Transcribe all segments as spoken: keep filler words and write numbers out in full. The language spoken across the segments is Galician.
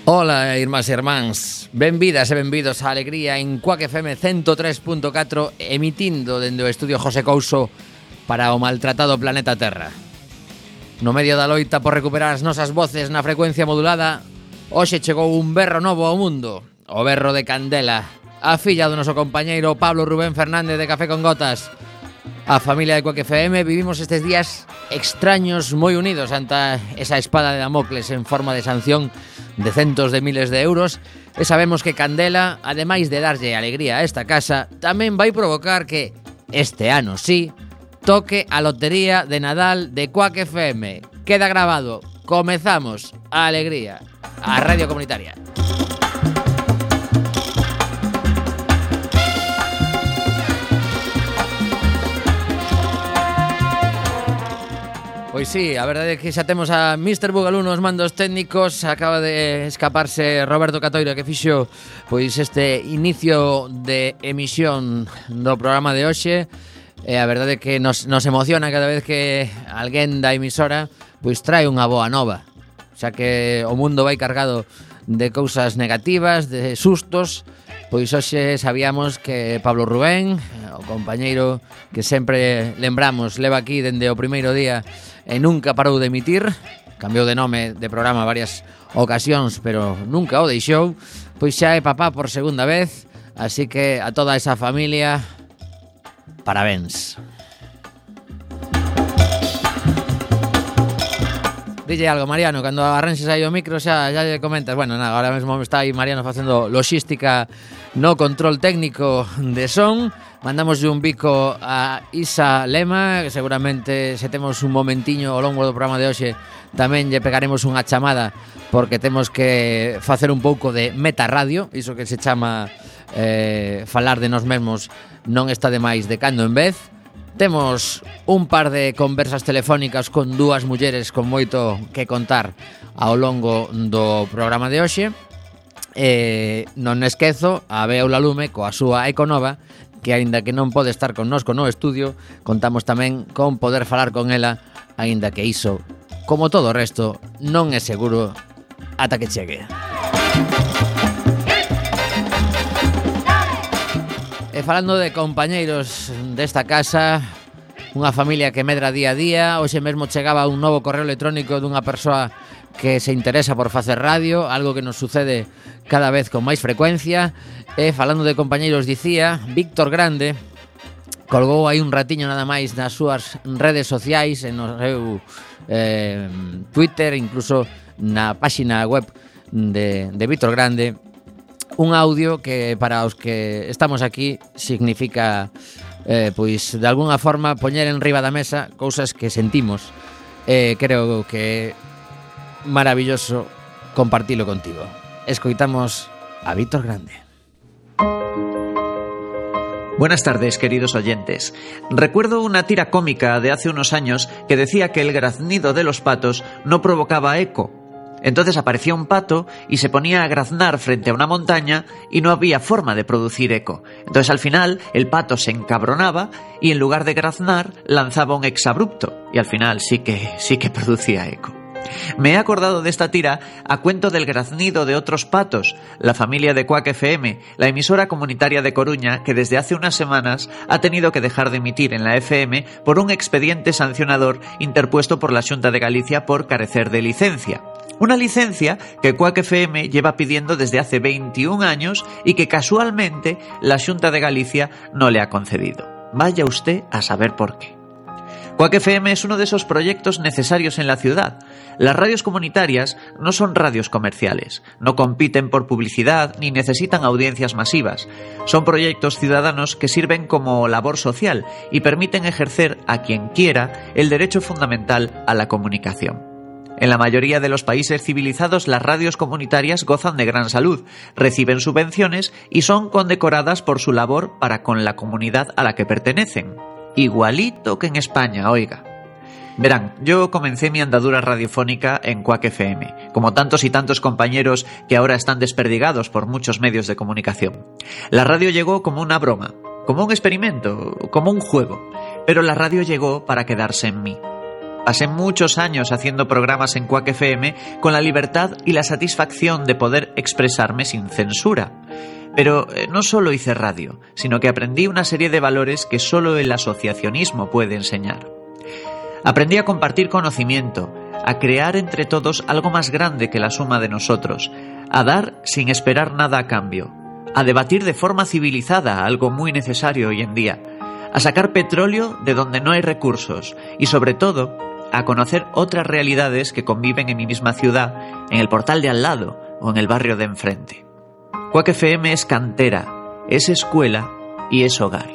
Ola, irmás e irmáns, benvidas e benvidos á Alegría en Quack F M ciento tres punto catro, emitindo dende o estudio José Couso para o maltratado planeta Terra. No medio da loita por recuperar as nosas voces na frecuencia modulada, hoxe chegou un berro novo ao mundo, o berro de Candela, a filla do noso compañeiro Pablo Rubén Fernández de Café con Gotas. A familia de Quack F M vivimos estes días extraños moi unidos ante esa espada de Damocles en forma de sanción de centos de miles de euros, e sabemos que Candela, ademais de darlle alegría a esta casa, tamén vai provocar que este ano sí toque a lotería de Nadal de Quack F M. Queda grabado. Comezamos a Alegría, a Radio Comunitaria. Pois sí, a verdade é que xa temos a mister Bugalú nos mandos técnicos. Acaba de escaparse Roberto Catoira, que fixo pois este inicio de emisión do programa de hoxe. E a verdade é que nos, nos emociona cada vez que alguén da emisora pois trae unha boa nova. Xa que o mundo vai cargado de cousas negativas, de sustos. Pois hoxe sabíamos que Pablo Rubén, o compañeiro que sempre lembramos, leva aquí dende o primeiro día e nunca parou de emitir, cambiou de nome de programa varias ocasións, pero nunca o deixou, pois xa é papá por segunda vez, así que a toda esa familia, parabéns. Dille algo, Mariano, cando arranxes aí o micro xa, xa lle comentas. Bueno, nada, ahora mesmo está aí Mariano facendo logística no control técnico de son. Mandamos un bico a Isa Lema, que seguramente se temos un momentiño ao longo do programa de hoxe tamén lle pegaremos unha chamada, porque temos que facer un pouco de metarradio, iso que se chama eh, falar de nós mesmos non está de máis de cando en vez. Temos un par de conversas telefónicas con dúas mulleres con moito que contar ao longo do programa de hoxe. E non esquezo a Bea Lume coa súa Econova, que aínda que non pode estar connosco no estudio, contamos tamén con poder falar con ela, aínda que iso, como todo o resto, non é seguro ata que chegue. E falando de compañeiros desta casa, unha familia que medra día a día, hoxe mesmo chegaba un novo correo electrónico dunha persoa que se interesa por facer radio, algo que nos sucede cada vez con máis frecuencia. E falando de compañeiros, dicía, Víctor Grande colgou aí un ratiño nada máis nas súas redes sociais, en o seu eh, Twitter, incluso na páxina web de, de Víctor Grande, un audio que para os que estamos aquí significa eh, pois de alguna forma poñer en riba da mesa cousas que sentimos. Eh, creo que é maravilloso compartilo contigo. Escoitamos a Víctor Grande. Buenas tardes, queridos oyentes. Recuerdo una tira cómica de hace unos años que decía que el graznido de los patos no provocaba eco. Entonces aparecía un pato y se ponía a graznar frente a una montaña y no había forma de producir eco. Entonces al final el pato se encabronaba y en lugar de graznar lanzaba un exabrupto y al final sí que, sí que producía eco. Me he acordado de esta tira a cuento del graznido de otros patos, la familia de Quack F M, la emisora comunitaria de Coruña, que desde hace unas semanas ha tenido que dejar de emitir en la F M por un expediente sancionador interpuesto por la Xunta de Galicia por carecer de licencia. Una licencia que Quack F M lleva pidiendo desde hace veintiún años y que casualmente la Xunta de Galicia no le ha concedido. Vaya usted a saber por qué. Quack F M es uno de esos proyectos necesarios en la ciudad. Las radios comunitarias no son radios comerciales, no compiten por publicidad ni necesitan audiencias masivas. Son proyectos ciudadanos que sirven como labor social y permiten ejercer a quien quiera el derecho fundamental a la comunicación. En la mayoría de los países civilizados las radios comunitarias gozan de gran salud, reciben subvenciones y son condecoradas por su labor para con la comunidad a la que pertenecen. Igualito que en España, oiga. Verán, yo comencé mi andadura radiofónica en Quack F M, como tantos y tantos compañeros que ahora están desperdigados por muchos medios de comunicación. La radio llegó como una broma, como un experimento, como un juego, pero la radio llegó para quedarse en mí. Pasé muchos años haciendo programas en Quack F M con la libertad y la satisfacción de poder expresarme sin censura. Pero eh, no solo hice radio, sino que aprendí una serie de valores que solo el asociacionismo puede enseñar. Aprendí a compartir conocimiento, a crear entre todos algo más grande que la suma de nosotros, a dar sin esperar nada a cambio, a debatir de forma civilizada, algo muy necesario hoy en día, a sacar petróleo de donde no hay recursos y, sobre todo, a conocer otras realidades que conviven en mi misma ciudad, en el portal de al lado o en el barrio de enfrente. Quack F M es cantera, es escuela y es hogar.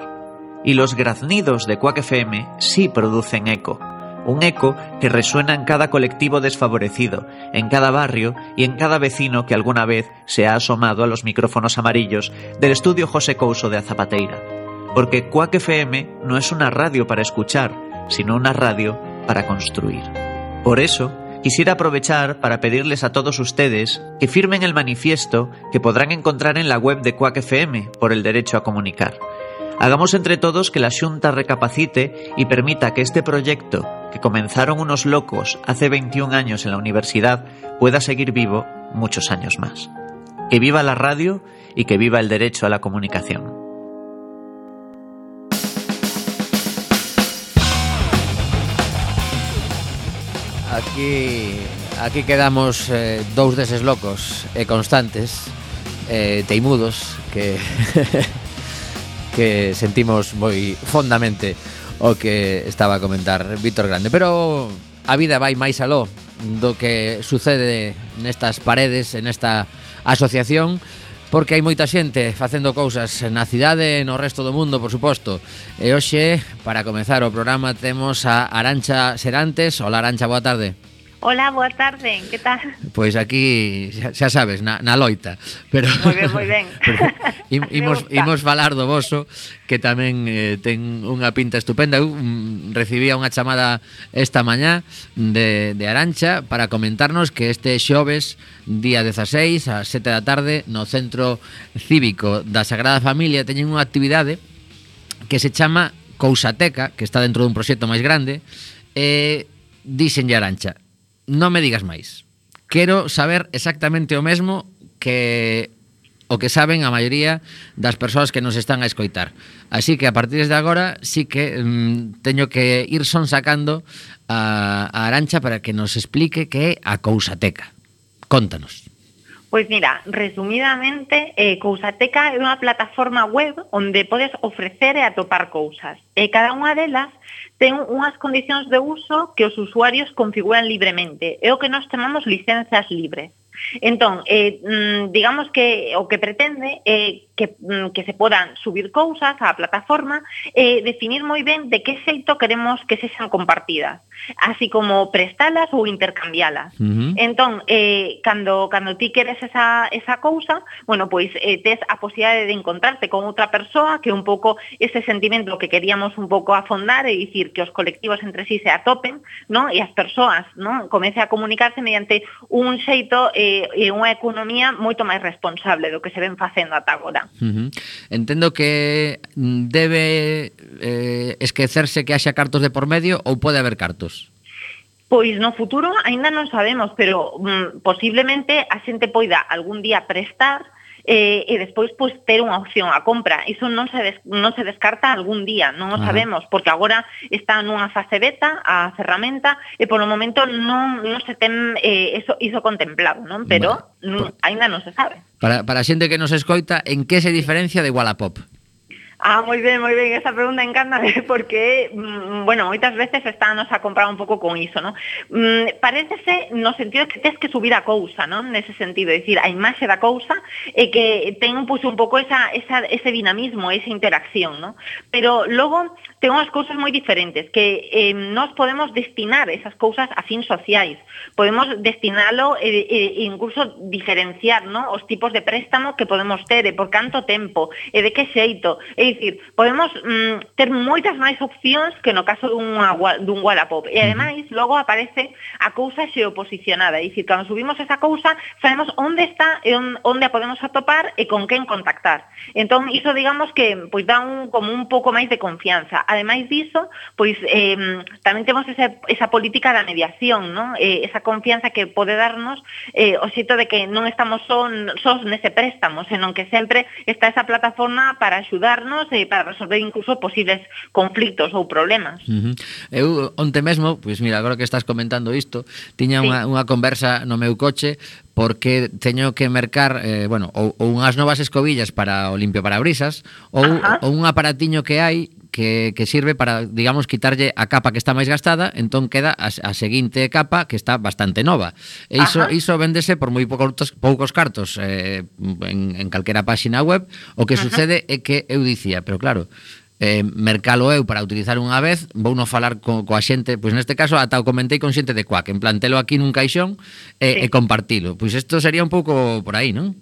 Y los graznidos de Quack F M sí producen eco. Un eco que resuena en cada colectivo desfavorecido, en cada barrio y en cada vecino que alguna vez se ha asomado a los micrófonos amarillos del estudio José Couso de Azapateira. Porque Quack F M no es una radio para escuchar, sino una radio para construir. Por eso, quisiera aprovechar para pedirles a todos ustedes que firmen el manifiesto que podrán encontrar en la web de Quack F M por el derecho a comunicar. Hagamos entre todos que la Xunta recapacite y permita que este proyecto, que comenzaron unos locos hace veintiún años en la universidad, pueda seguir vivo muchos años más. Que viva la radio y que viva el derecho a la comunicación. Aquí, aquí quedamos eh, dous deses locos e constantes, eh, teimudos, que... que sentimos moi fondamente o que estaba a comentar Víctor Grande. Pero a vida vai máis aló do que sucede nestas paredes, en esta asociación, porque hai moita xente facendo cousas na cidade e no resto do mundo, por suposto. E hoxe, para comezar o programa, temos a Arantxa Serantes. Hola, Arantxa, boa tarde. Hola, boa tarde, que tal? Pois aquí, xa, xa sabes, na, na loita. Pero, moi ben, moi ben. Pero, im, imos, imos falar do voso, que tamén eh, ten unha pinta estupenda. Eu um, recibía unha chamada esta mañá de, de Arantxa para comentarnos que este xoves, día dezaseis, ás sete da tarde, no Centro Cívico da Sagrada Familia, teñen unha actividade que se chama Cousateca, que está dentro dun proxecto máis grande, e díxenlle Arantxa: non me digas máis. Quero saber exactamente o mesmo que o que saben a maioría das persoas que nos están a escoitar. Así que a partir de agora sí que mm, teño que ir son sacando a, a Arantxa para que nos explique que é a Cousateca. Contanos. Pois mira, resumidamente, eh, Cousateca é unha plataforma web onde podes ofrecer e atopar cousas. E cada unha delas ten unhas condicións de uso que os usuarios configuran libremente. É o que nós chamamos licenzas libres. Entón, eh, digamos que o que pretende é que, que se podan subir cousas á plataforma e definir moi ben de que xeito queremos que sexan compartidas, así como prestalas ou intercambialas. Uh-huh. Entón, eh, cando, cando ti queres esa, esa cousa, bueno, pois eh, tes a posibilidade de encontrarte con outra persoa, que un pouco ese sentimento que queríamos un pouco afondar e dicir que os colectivos entre sí se atopen, ¿no? E as persoas, ¿no? Comece a comunicarse mediante un xeito eh, e unha economía moito máis responsable do que se ven facendo ata agora. Uh-huh. Entendo que debe eh, esquecerse que haxa cartos de por medio ou pode haber cartos? Pois no futuro aínda non sabemos, pero mm, posiblemente a xente poida algún día prestar eh, e despois pois ter unha opción a compra. Iso non se des, non se descarta algún día, non o sabemos, porque agora está nunha fase beta a ferramenta e polo momento non, non se ten eh, eso, iso contemplado, non? Pero vale. Aínda non se sabe. Para, para a xente que nos escoita, en que se diferencia de Wallapop? Ah, moi ben, moi ben, esa pregunta encántame porque, mm, bueno, moitas veces estános a comprar un pouco con iso, non? Mm, parécese no sentido que tes que subir a cousa, non? Nese sentido, é dicir, a imaxe da cousa e que ten pues, un pouco esa, esa, ese dinamismo, esa interacción, non? Pero logo ten unhas cousas moi diferentes, que eh, nos podemos destinar esas cousas a fins sociais, podemos destinalo e, e incluso diferenciar, non? Os tipos de préstamo que podemos ter e por canto tempo e de que xeito, e É dicir, podemos mm, ter moitas máis opcións que no caso dunha, dun Wallapop. E ademais, logo aparece a cousa xeoposicionada. É dicir, cando subimos esa cousa, sabemos onde está e onde a podemos atopar e con quen contactar. Entón, iso digamos que pois dá un, como un pouco máis de confianza. Ademais diso, pois eh, tamén temos ese, esa política da mediación, ¿no? Eh, esa confianza que pode darnos eh, o xeito de que non estamos só, só nese préstamo, senón que sempre está esa plataforma para axudarnos e para resolver incluso posibles conflitos ou problemas. Uh-huh. Eu onte mesmo, pois mira, agora que estás comentando isto, tiña sí. unha, unha conversa no meu coche porque teño que mercar, eh, bueno, ou, ou unhas novas escobillas para o limpio parabrisas ou, ou un aparatiño que hai que, que sirve para, digamos, quitarlle a capa que está máis gastada, entón queda a, a seguinte capa que está bastante nova. E iso, iso véndese por moi poucos, poucos cartos eh, en, en calquera páxina web. O que Ajá. sucede é que eu dicía, pero claro, eh, mercalo eu para utilizar unha vez, vou non falar co, coa xente, pois neste caso ata o comentei con xente de Quack, en plan telo aquí nun caixón e, sí. e compartilo. Pois isto sería un pouco por aí, non?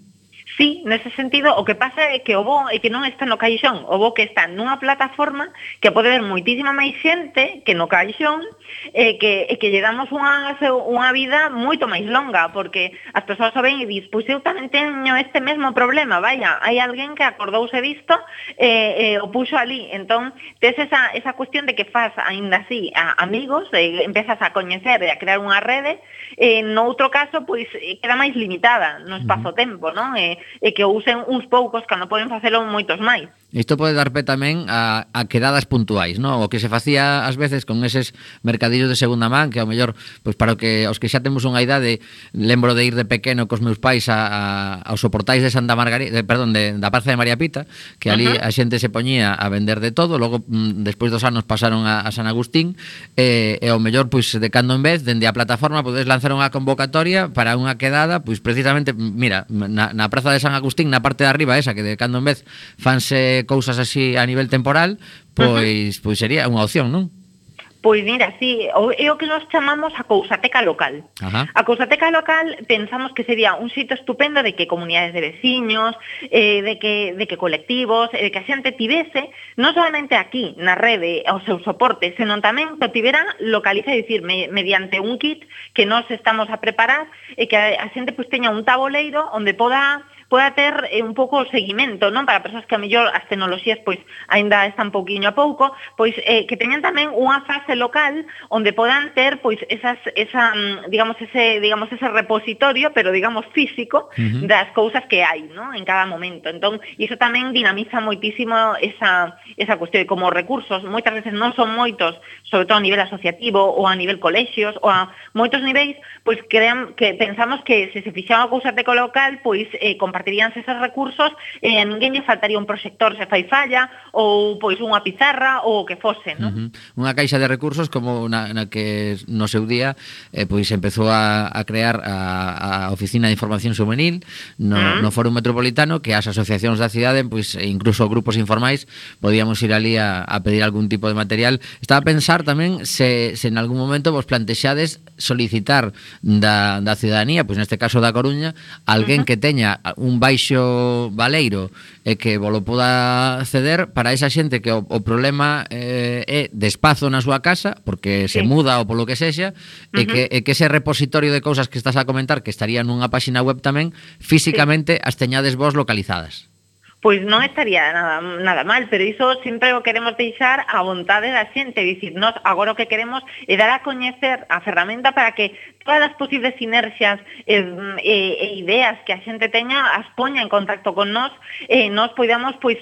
Sí, nese sentido, o que pasa é que o bo é que non está no caixón, o bo que está nunha plataforma que pode ver moitísima máis xente que no caixón e que, e que lle damos unha, unha vida moito máis longa, porque as persoas o ven e dis, pois eu tamén teño este mesmo problema, vaya, hai alguén que acordouse disto e, e o puxo ali, entón tes esa, esa cuestión de que faz aínda así a amigos, e empezas a coñecer e a crear unha rede, e no outro caso, pois queda máis limitada no espazo-tempo, non? E, e que o usen uns poucos cando poden facelo moitos máis. Isto pode dar pé tamén a, a quedadas puntuais, non? O que se facía ás veces con eses mercadillos de segunda man, que ao mellor, pois para o que os que xa temos unha idade, lembro de ir de pequeno cos meus pais a, a, aos soportais de Santa Margarita, de, perdón, de, da Praza de María Pita, que ali uh-huh. a xente se poñía a vender de todo, logo mm, despois dos anos pasaron a, a San Agustín, e, e ao mellor, pois de cando en vez, dende a plataforma podes lanzar unha convocatoria para unha quedada, pois precisamente, mira, na, na Praza de San Agustín, na parte de arriba esa, que de cando en vez fanse cousas así a nivel temporal, pois, uh-huh. pois sería unha opción, non? Pois mira, sí, é o que nos chamamos a cousateca local. Ajá. A cousateca local pensamos que sería un sitio estupendo de que comunidades de veciños, eh, de, que, de que colectivos, de que a xente tivese, non solamente aquí, na rede, ao seu soporte, senón tamén que tivera localiza, é dicir, me, mediante un kit que nos estamos a preparar e que a, a xente pues, teña un tabuleiro onde poda poda ter eh, un pouco o seguimento, non? Para persoas que a mellor as tecnoloxías pois aínda están pouquiño a pouco, pois eh, que teñan tamén unha fase local onde podan ter pois esas esa digamos ese digamos ese repositorio, pero digamos físico uh-huh. das cousas que hai, non? En cada momento. Entón, iso tamén dinamiza moitísimo esa esa cuestión de como recursos, moitas veces non son moitos, sobre todo a nivel asociativo ou a nivel colexios ou a moitos niveis, pois crean que pensamos que se se fixaba a cousateca local, pois eh, compartiríanse esos recursos e a ninguén lle faltaría un proxector se fai falla ou pois unha pizarra ou o que fose, non? Uh-huh. Unha caixa de recursos como na, na que no seu día eh, pois empezou a, a crear a, a Oficina de Información Juvenil no, uh-huh. no Foro Metropolitano, que as asociacións da cidade, pois incluso grupos informais, podíamos ir ali a, a pedir algún tipo de material. Estaba a pensar tamén se, se en algún momento vos plantexades solicitar da, da ciudadanía, pois neste caso da Coruña, alguén uh-huh. que teña un baixo baleiro e que volo poda ceder para esa xente que o, o problema eh, é de espazo na súa casa, porque se sí. muda ou polo que sexa, uh-huh. e, que, e que ese repositorio de cousas que estás a comentar, que estaría nunha páxina web tamén, físicamente sí. as teñades vos localizadas. Pois non estaría nada, nada mal, pero iso sempre o queremos deixar a vontade da xente, dicir, nós agora o que queremos é dar a coñecer a ferramenta para que todas as posibles sinerxias e, e, e ideas que a xente teña as poña en contacto con nós e nós podamos pois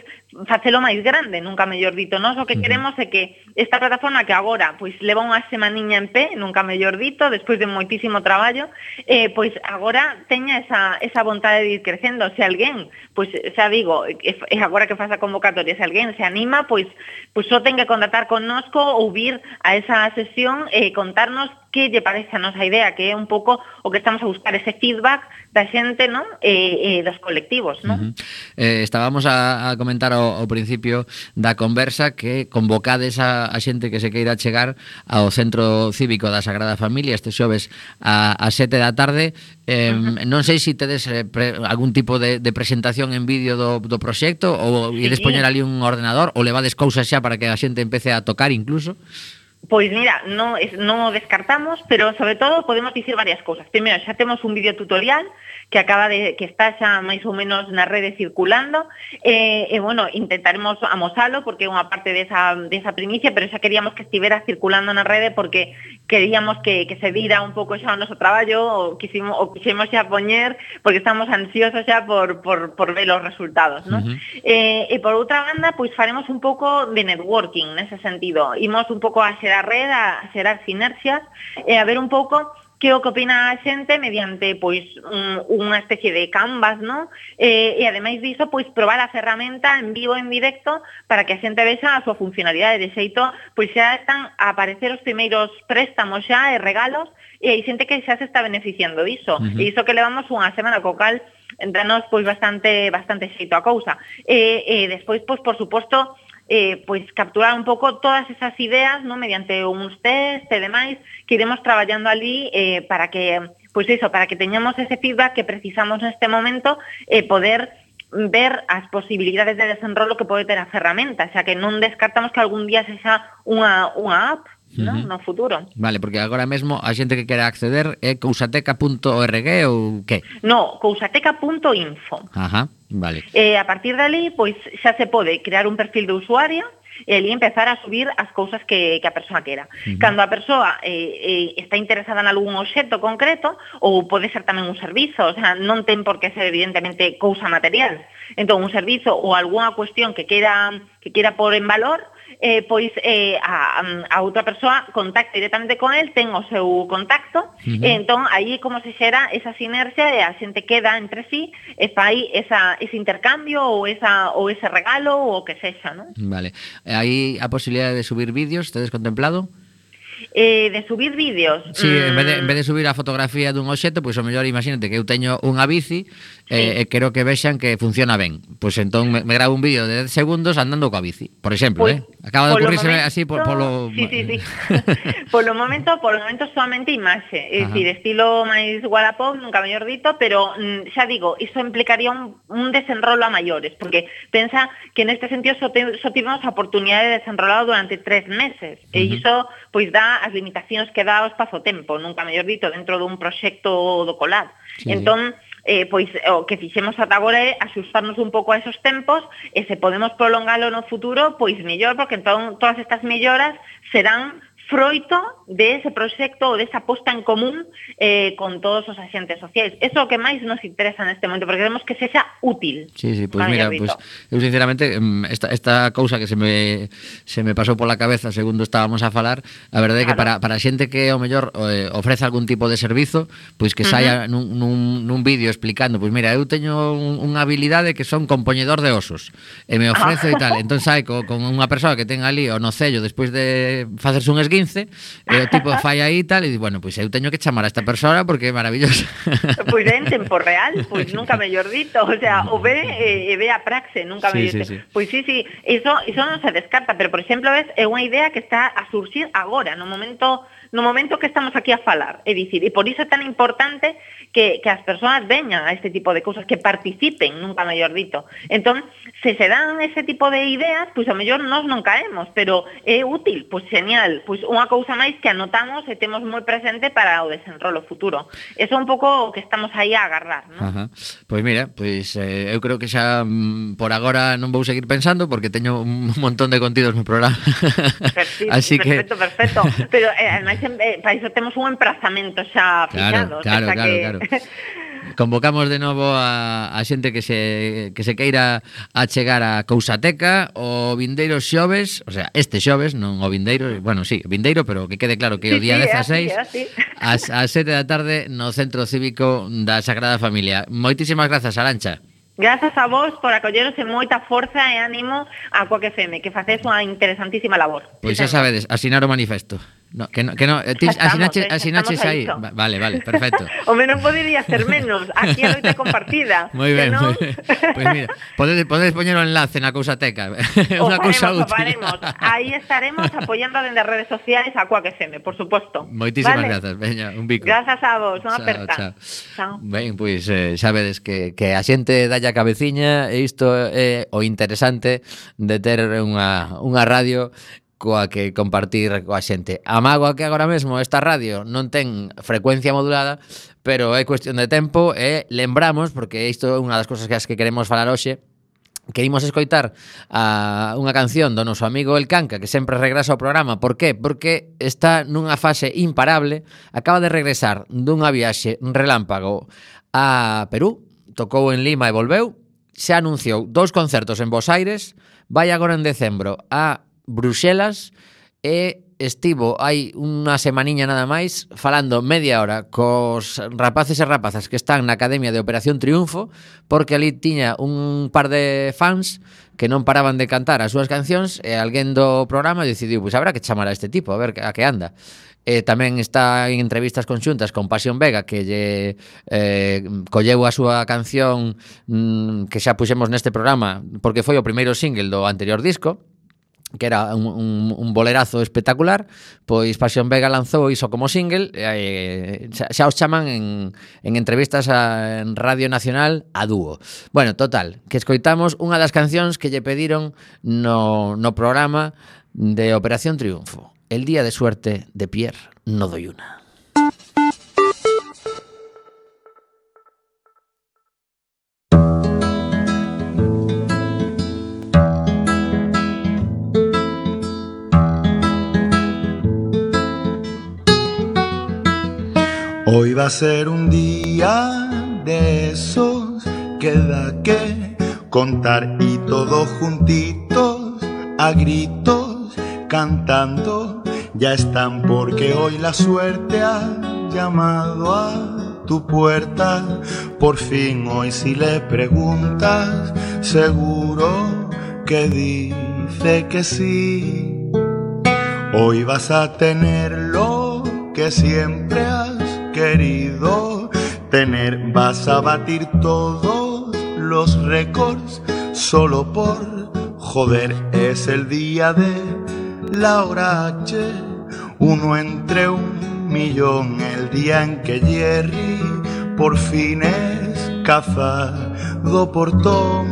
facelo máis grande, nunca mellor dito. Nós o que queremos é que esta plataforma que agora pois leva unha semaniña en pé, nunca mellor dito, despois de moitísimo traballo, eh, pois agora teña esa, esa vontade de ir crecendo. Se alguén, pois xa digo, e agora que faz a convocatoria, se alguén se anima, pois pois só ten que contactar connosco ou vir a esa sesión e contarnos que lle parece a nosa idea, que é un pouco o que estamos a buscar, ese feedback da xente, non? E, e dos colectivos, non? Uh-huh. eh, estábamos a, a comentar ao, ao principio da conversa que convocades a, a xente que se queira chegar ao Centro Cívico da Sagrada Familia este xoves a, a sete da tarde. Eh, uh-huh. Non sei se tedes eh, pre, algún tipo de, de presentación en vídeo do, do proxecto ou sí. ides poñer ali un ordenador ou levades cousas xa para que a xente empece a tocar incluso. Pois mira, non, non o descartamos, pero sobre todo podemos dicir varias cousas. Primeiro, xa temos un vídeo tutorial que acaba de que está xa máis ou menos na rede circulando, e, e bueno, intentaremos amosalo porque é unha parte desa, desa primicia, pero xa queríamos que estivera circulando na rede porque queríamos que, que se vira un pouco xa o noso traballo, o quisimos, o quixemos xa poñer, porque estamos ansiosos xa por, por, por ver os resultados, ¿no? Uh-huh. e, e por outra banda, pois faremos un pouco de networking nese sentido, imos un pouco a xerar a red, a xerar sinerxias e a ver un pouco que o que opina a xente mediante pois un, unha especie de canvas, ¿no? E, e ademais diso, pois probar a ferramenta en vivo, en directo, para que a xente vexa a súa funcionalidade. De xeito, pois xa están a aparecer os primeiros préstamos xa e regalos e hai xente que xa se está beneficiando diso. Uh-huh. E iso que levamos unha semana co cal entranos pois bastante bastante xeito a cousa. E, e despois, pois por suposto, Eh, pois capturar un pouco todas esas ideas, ¿no? Mediante uns test e demais que iremos traballando ali eh, para que, pois iso, para que teñamos ese feedback que precisamos neste momento e eh, poder ver as posibilidades de desenrolo que pode ter a ferramenta, xa que non descartamos que algún día sexa unha, unha app, ¿no? Uh-huh. No futuro. Vale, porque agora mesmo a xente que quera acceder é cousateca punto org ou que? No, cousateca punto info. Ajá, vale. E a partir de ali, pois xa se pode crear un perfil de usuario e ali empezar a subir as cousas que, que a persoa quera. Uh-huh. Cando a persoa eh, eh, está interesada en algún obxecto concreto, ou pode ser tamén un servizo, o sea, non ten por que ser evidentemente cousa material. Entón, un servizo ou algunha cuestión que quera, que quera pôr en valor, eh, pois eh, a, a outra persoa contacta directamente con el, ten o seu contacto, uh-huh. e entón aí como se xera esa sinerxia e a xente queda entre sí e fai esa, ese intercambio ou, esa, ou ese regalo ou o que sexa, non? Vale. Hai a posibilidade de subir vídeos, tedes contemplado? Eh, de subir vídeos. Sí, mm. en, vez de, en vez de subir a fotografía dun obxecto, pois o mellor imagínate que eu teño unha bici sí. e eh, quero que vexan que funciona ben. Pois entón me, me gravo un vídeo de dez segundos andando coa bici, por exemplo, pues, eh. Acaba de ocurrirse así por polo Sí, sí, sí. Polo momento, polo momento solamente imaxe, é dicir, estilo máis Wallapop, nunca mellor dito, pero mm, xa digo, iso implicaría un, un desenrolo a maiores, porque pensa que neste sentido só, te, só tivemos a oportunidade de desenrolado durante tres meses, uh-huh. e iso pois dá as limitacións que dá o espazo-tempo, nunca mellor dito, dentro dun proxecto do COLAD. Sí, entón, eh, pois o que fixemos ata agora é axustarnos un pouco a esos tempos e se podemos prolongalo no futuro, pois mellor, porque entón todas estas melloras serán froito de ese proxecto ou desa posta en común eh, con todos os axentes sociais. Eso é o que máis nos interesa neste momento, porque queremos que sexa útil. Sí, sí, pois pues mira, pues, eu sinceramente esta, esta cousa que se me se me pasou pola cabeza segundo estábamos a falar, a verdade é que claro. para, para a xente que ao mellor eh, ofrece algún tipo de servizo, pois que saia uh-huh. nun, nun, nun vídeo explicando, pois mira, eu teño un, unha habilidade que son compoñedor de osos e me ofrezo e tal, entón sai co, con unha persoa que ten ali o nocello despois de facerse un esguince e o tipo fai aí e tal e di, bueno, pois eu teño que chamar a esta persona porque é maravillosa. Pois é en tempo real, pois nunca mellor dito, o sea, o ve e, e ve a praxe, nunca sí, mellor sí, sí. Pois sí, sí, iso, iso non se descarta, pero por exemplo, ves, é unha idea que está a surxir agora, no momento no momento que estamos aquí a falar, é dicir, e por iso é tan importante que, que as persoas veñan a este tipo de cousas, que participen, nunca mellor dito. Entón, se se dan ese tipo de ideas, pois a mellor nós non caemos, pero é útil, pois genial, pois unha cousa máis que anotamos e temos moi presente para o desenrolo futuro. Eso é un pouco o que estamos aí a agarrar, non? Ajá. Pois mira, pois eh, eu creo que xa mm, por agora non vou seguir pensando porque teño un montón de contidos no programa. Perfecto, Así perfecto, que... perfecto. Pero eh, ademais eh, para iso temos un emprazamento xa claro, fixado. Claro, o sea claro, que... claro. Convocamos de novo a, a xente que se que se queira achegar a Cousateca o vindeiro xoves, o sea, este xoves, non o vindeiro, bueno, sí, vindeiro, pero que quede claro que sí, o día sí, dezaseis así, así. Ás sete da tarde no Centro Cívico da Sagrada Familia. Moitísimas grazas, Arantxa. Grazas a vos por acolleros e moita forza e ánimo a Coac F M, que facedes unha interesantísima labor. Pois xa sabedes, asinar o manifesto. No, que no, que no, ti asinaches, asinaches aí. Va, vale, vale, perfecto. Home, non podería ser menos. Aquí a loita compartida. Moi ben, moi ben. Pois mira, podedes, podedes poñer o enlace na cousateca. Unha cousa útil. O faremos, aí estaremos apoiando dende as redes sociais a Quack F M, por suposto. Moitísimas vale? grazas, veña, un bico. Grazas a vos, unha chao, aperta. Chao. Chao. Ben, pois eh, xa vedes que, que a xente dalle a cabeciña e isto é o interesante de ter unha, unha radio coa que compartir coa xente. A mágoa que agora mesmo esta radio non ten frecuencia modulada, pero é cuestión de tempo e lembramos, porque isto é unha das cousas que as que queremos falar hoxe, que imos escoitar a unha canción do noso amigo El Canca, que sempre regresa ao programa. Por qué? Porque está nunha fase imparable, acaba de regresar dunha viaxe relámpago a Perú, tocou en Lima e volveu, se anunciou dous concertos en Bos Aires, vai agora en decembro a Bruxelas e estivo hai unha semaniña nada máis falando media hora cos rapaces e rapazas que están na Academia de Operación Triunfo, porque ali tiña un par de fans que non paraban de cantar as súas cancións e alguén do programa decidiu, pois habrá que chamar a este tipo a ver a que anda. E tamén está en entrevistas conxuntas con Pasión Vega, que lle eh, colleu a súa canción mmm, que xa puxemos neste programa porque foi o primeiro single do anterior disco, que era un, un, un bolerazo espectacular. Pois Pasión Vega lanzou iso como single, eh, xa, xa os chaman en, en entrevistas a, en Radio Nacional a dúo. Bueno, total, que escoitamos unha das cancións que lle pediron no, no programa de Operación Triunfo, El día de suerte de Pierre Nodoyuna. Hoy va a ser un día de esos que da que contar y todos juntitos a gritos cantando ya están, porque hoy la suerte ha llamado a tu puerta. Por fin hoy si le preguntas seguro que dice que sí. Hoy vas a tener lo que siempre has querido tener, vas a batir todos los récords solo por joder. Es el día de la hora H, uno entre un millón, el día en que Jerry por fin es cazado por Tom.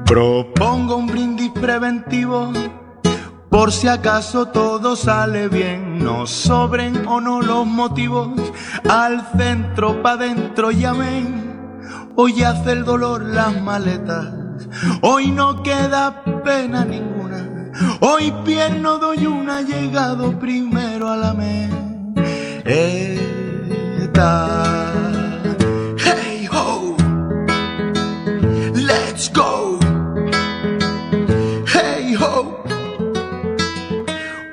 Propongo un brindis preventivo por si acaso todo sale bien, nos sobren o no los motivos, al centro pa' dentro llamen, hoy hace el dolor las maletas, hoy no queda pena ninguna, hoy Pierre Nodoyuna ha llegado primero a la meta. Hey ho, let's go. Hey ho.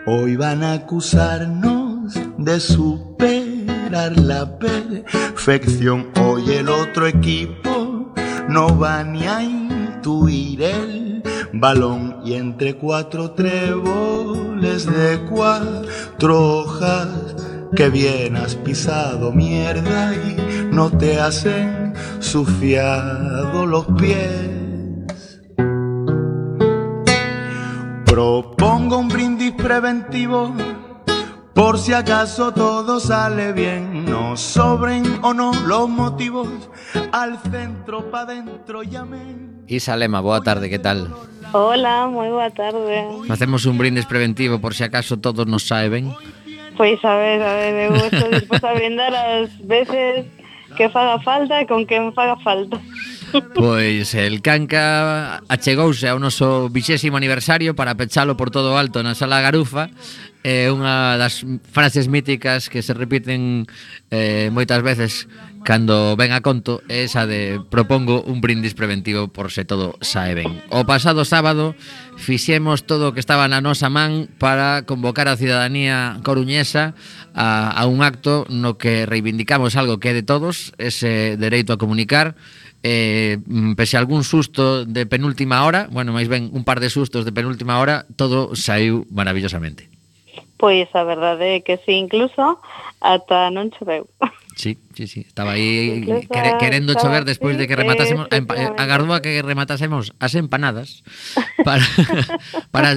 Hoy van a acusarnos de superar la perfección. Hoy el otro equipo no va ni a intuir el balón. Y entre cuatro tréboles de cuatro hojas que bien has pisado mierda y no te has ensuciado los pies. Propongo un brindis preventivo por si acaso todo sale bien, nos sobren o no los motivos, al centro pa' dentro llamen. Isa Lema, boa tarde, que tal? Hola, moi boa tarde. Facemos un brindis preventivo por si acaso todos nos sae ben. Pois a ver, a ver, eu estou disposta a brindar as veces que faga falta e con quen faga falta. Pois el Canca achegouse ao noso vixésimo aniversario para pechalo por todo alto na Sala Garufa. É unha das frases míticas que se repiten eh, moitas veces cando ven a conto, é esa de propongo un brindis preventivo por se todo sae ben. O pasado sábado fixemos todo o que estaba na nosa man para convocar a cidadanía coruñesa a, a un acto no que reivindicamos algo que é de todos, ese dereito a comunicar. eh, pese a algún susto de penúltima hora, bueno, máis ben un par de sustos de penúltima hora, todo saiu maravillosamente. Pois a verdade é que sí, incluso ata non choveu. Sí, sí, sí, estaba aí Incluso quere, querendo estaba chover despois así, de que rematásemos a empa- agardou a que rematásemos as empanadas para para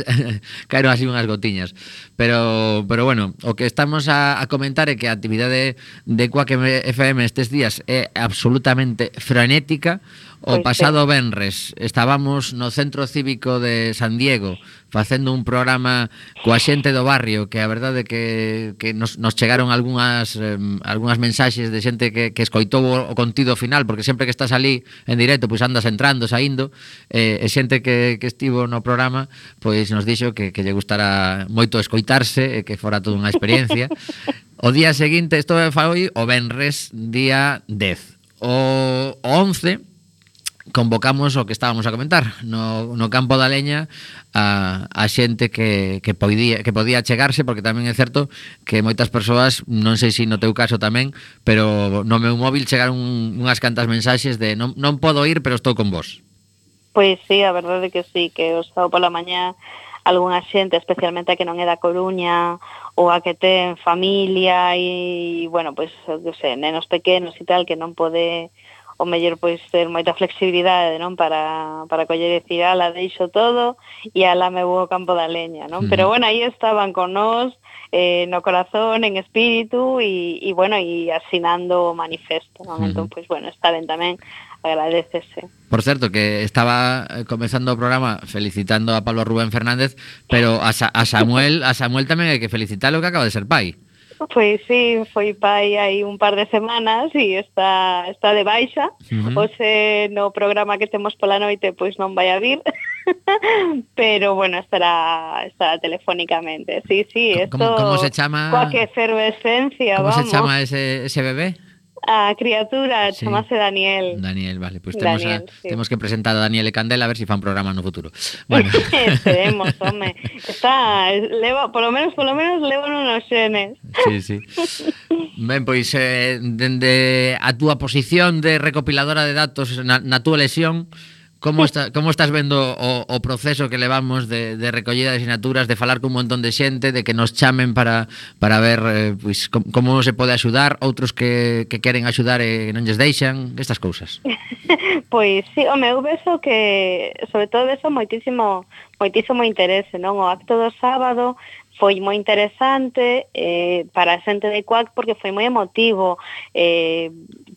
caeron así unhas gotiñas. Pero pero bueno, o que estamos a, a comentar é que a actividade de Quack F M estes días é absolutamente frenética. O Pois pasado venres estábamos no Centro Cívico de San Diego facendo un programa coa xente do barrio, que a verdade que, que nos, nos chegaron algunhas eh, algunhas mensaxes de xente que, que escoitou o, o contido final, porque sempre que estás ali en directo, pois andas entrando, saindo, eh, e xente que, que estivo no programa, pois nos dixo que, que lle gustara moito escoitarse e que fora toda unha experiencia. O día seguinte, isto foi o venres, día dez. O, o once convocamos o que estábamos a comentar no, no campo da leña a, a xente que, que, podía, que podía chegarse, porque tamén é certo que moitas persoas, non sei se no teu caso tamén, pero no meu móvil chegaron unhas cantas mensaxes de non, non podo ir, pero estou con vos. Pois sí, a verdade que sí, que o sábado pola mañá algunha xente, especialmente a que non é da Coruña ou a que ten familia e, bueno, pois, eu sei, nenos pequenos e tal, que non pode o mellor pois ter moita flexibilidade, non, para para coller e dicir, ala, deixo todo e ala me vou ao campo da leña, non? Uh-huh. Pero bueno, aí estaban con nós eh, no corazón, en espírito e, e bueno, e asinando o manifesto, non? Uh-huh. Entón, pois bueno, está ben tamén, agradecese. Por certo, que estaba comezando o programa felicitando a Pablo Rubén Fernández, pero a, Sa- a Samuel, a Samuel tamén hai que felicitalo, que acaba de ser pai. Pois sí, foi pai hai un par de semanas e está está de baixa. Uh-huh. Hoxe no programa que temos pola noite pois non vai a vir. Pero bueno, estará estará telefónicamente. Sí, sí, esto ¿Cómo, cómo se chama? Coa que efervescencia, ¿Cómo vamos. se chama ese, ese bebé? A criatura, Sí. chamase Daniel. Daniel, vale, pues temos, Daniel, a, sí. temos que presentar a Daniel e Candela a ver se si fan programa no futuro. Bueno. Esperemos, home. Está, leva, por lo menos, por lo menos leva unos xenes. Sí, sí. Ben, pois eh, dende a túa posición de recopiladora de datos na, na túa lesión, como está, como estás vendo o, o proceso que levamos de, de recollida de asignaturas, de falar con un montón de xente, de que nos chamen para, para ver eh, pois, com, como se pode axudar, outros que, que queren axudar e non lles deixan, estas cousas? Pois sí, home, eu beso que, sobre todo beso moitísimo, moitísimo interese, non? O acto do sábado foi moi interesante eh, para a xente de Quack porque foi moi emotivo. Eh,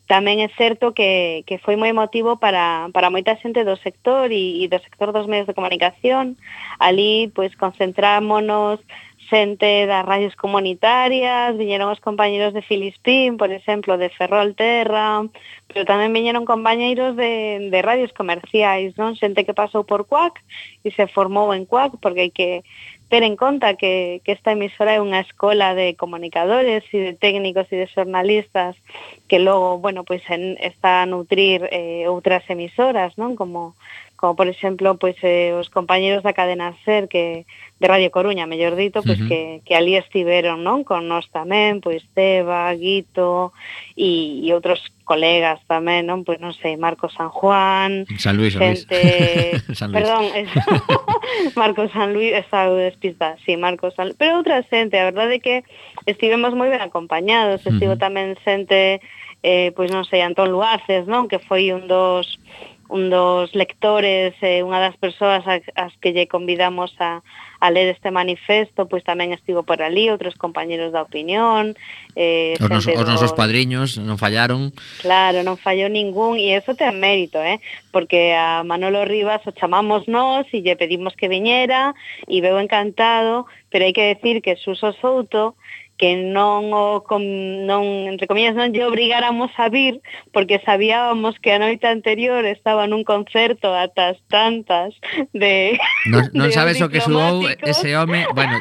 tamén é certo que, que foi moi emotivo para, para moita xente do sector e, e do sector dos medios de comunicación. Ali, pois, concentrámonos xente das radios comunitarias, viñeron os compañeros de Filispín, por exemplo, de Ferrolterra, pero tamén viñeron compañeiros de, de radios comerciais, non? Xente que pasou por Quack e se formou en Quack, porque hai que ter en conta que, que esta emisora é unha escola de comunicadores e de técnicos e de xornalistas que logo, bueno, pois en, está a nutrir eh, outras emisoras, non? Como, como por exemplo, pois eh, os compañeros da cadena SER que de Radio Coruña, mellor dito, pois uh-huh. que, que ali estiveron, non? Con nós tamén, pois Teba, Guito e, e outros colegas tamén, non? Pois non sei, Marcos San Juan, San Luis, xente, San Luis. Perdón, Marcos San Luis, está despista, sí, Marcos San Luis, pero outra xente, a verdade é que estivemos moi ben acompañados, estivo uh-huh. tamén xente, eh, pois non sei, Antón Luaces, non? Que foi un dos un dos lectores, eh, unha das persoas as, as que lle convidamos a, a ler este manifesto, pois tamén estivo por ali, outros compañeros da opinión. Eh, os, nos, os dos... nosos padriños non fallaron. Claro, non fallou ningún, e eso ten mérito, eh? Porque a Manolo Rivas o chamamos nós e lle pedimos que viñera, e veu encantado, pero hai que decir que Suso Souto, que non o com, non, entre comillas, non lle obrigáramos a vir porque sabíamos que a noite anterior estaba nun concerto atas tantas de Non, non de sabes o que suou ese home, bueno,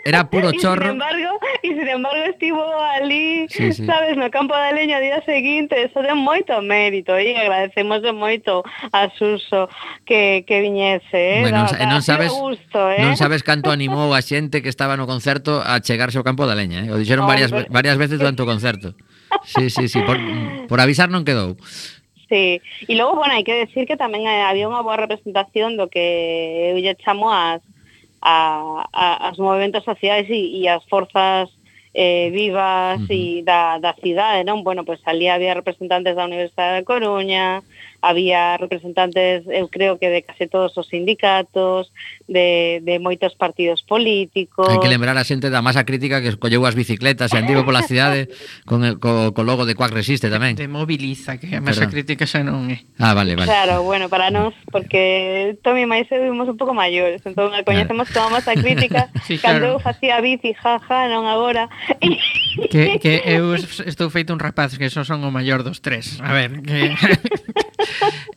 era puro chorro. E sin embargo, e sin embargo estivo ali, sí, sí. sabes, no campo da leña o día seguinte, eso ten moito mérito e agradecemos moito a Suso que, que viñese, eh? Bueno, da, non, non sabes gusto, eh? non sabes canto animou a xente que estaba no concerto a chegarse ao campo da leña. Eh? O dixeron varias, varias veces durante o concerto. Sí, sí, sí, por, por avisar non quedou. Sí, e logo, bueno, hai que decir que tamén había unha boa representación do que eu lle chamo as, a, a, as movimentos sociais e, e as forzas eh, vivas uh-huh. e da, da cidade, non? Bueno, pois pues, ali había representantes da Universidade de Coruña, había representantes, eu creo que de case todos os sindicatos, de, de moitos partidos políticos. Hai que lembrar a xente da masa crítica que escolleu as bicicletas e andivo pola cidade con el, co, co logo de Quack Resiste tamén. De Moviliza, que a masa Perdón. crítica xa non é. Ah, vale, vale. Claro, bueno, para nós, porque Tomi e máis eu vimos un pouco maiores, entón coñecemos toda a masa crítica, sí, cando claro. eu facía bici, jaja, non agora. Que, que eu estou feito un rapaz que só son o maior dos tres. A ver, que...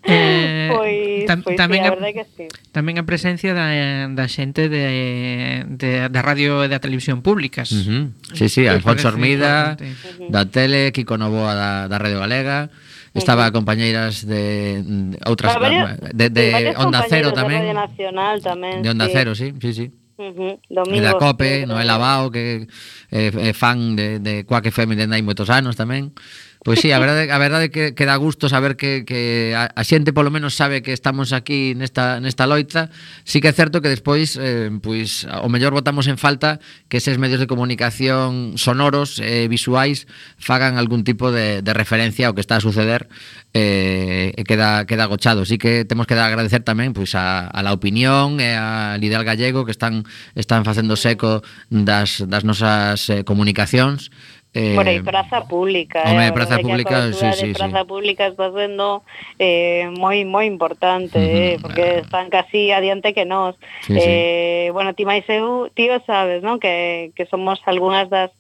eh, pois, tam, pois tamén sí, a verdade que sí. Tamén a presencia da, da xente de, de, da radio e da televisión públicas. Uh-huh. Sí, sí, Alfonso Ormida, uh-huh. da tele, Kiko Novoa da, da Radio Galega, estaba uh-huh. compañeiras de, de outras varios, de, de, de Onda Cero tamén. De Radio Nacional tamén. De Onda sí. Cero, sí, sí, sí. Uh-huh. E da COPE, Noela Bao, que é eh, fan de, de Quack F M dende hai moitos anos tamén. Pois sí, a verdade, a verdade que, que dá gusto saber que, que a, a xente polo menos sabe que estamos aquí nesta, nesta loita. Sí que é certo que despois eh, pois, o mellor botamos en falta que eses medios de comunicación sonoros e eh, visuais fagan algún tipo de, de referencia ao que está a suceder e eh, queda, queda agochado. Sí que temos que dar agradecer tamén pois, a, a La Opinión e a Lideal Gallego que están, están facendo seco das, das nosas eh, comunicacións. Eh, Por aí, Praza Pública. Home, eh, Praza Pública, sí, sí, Praza sí. Pública está sendo eh, moi moi importante, uh-huh. eh, porque están casi adiante que nós. Sí, eh, sí. Bueno, ti máis eu, tío sabes, non? Que, que somos algunhas das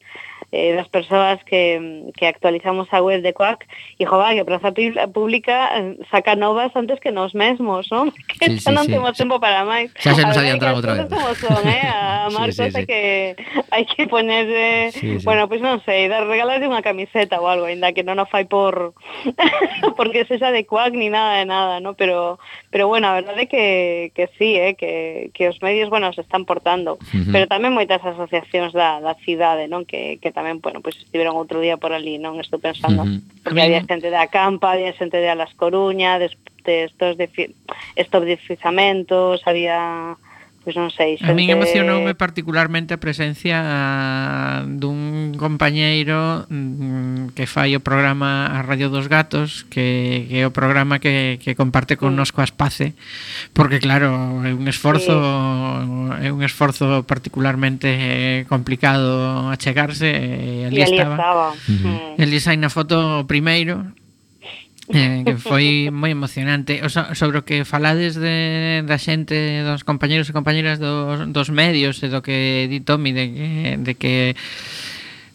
eh, das persoas que, que actualizamos a web de Quack e, joder, que Praza Pública saca novas antes que nos mesmos, non? Que sí, xa sí, non sí. temos tempo para máis. Xa se nos adiantaron outra vez. Como son, eh? A marcas sí, sí, sí. que hai que poner, eh, sí, sí. bueno, pois pues non sei, dar regalar unha camiseta ou algo, ainda que non o fai por porque sexa de Quack ni nada de nada, ¿no? Pero pero bueno, a verdade é que que sí, eh, que que os medios, bueno, se están portando, uh-huh. pero tamén moitas asociacións da da cidade, non? Que que tamén, bueno, pois pues, estiveron outro día por ali, non? Estou pensando, uh-huh. porque había xente da Campa, había xente de Alas Coruña, de, de estos de estos deslizamentos, había pois non sei, xente... A min emocionoume particularmente a presencia dun compañeiro que fai o programa A Radio dos Gatos, que, que é o programa que, que comparte con nos coas Pace, porque claro, é un esforzo sí. é un esforzo particularmente complicado achegarse e ali, e ali estaba, estaba. Uh-huh. Eli sai na foto primeiro. Eh, que foi moi emocionante. O so, sobre o que falades de, da xente, dos compañeros e compañeras dos, dos medios e do que di Tomi de que, de que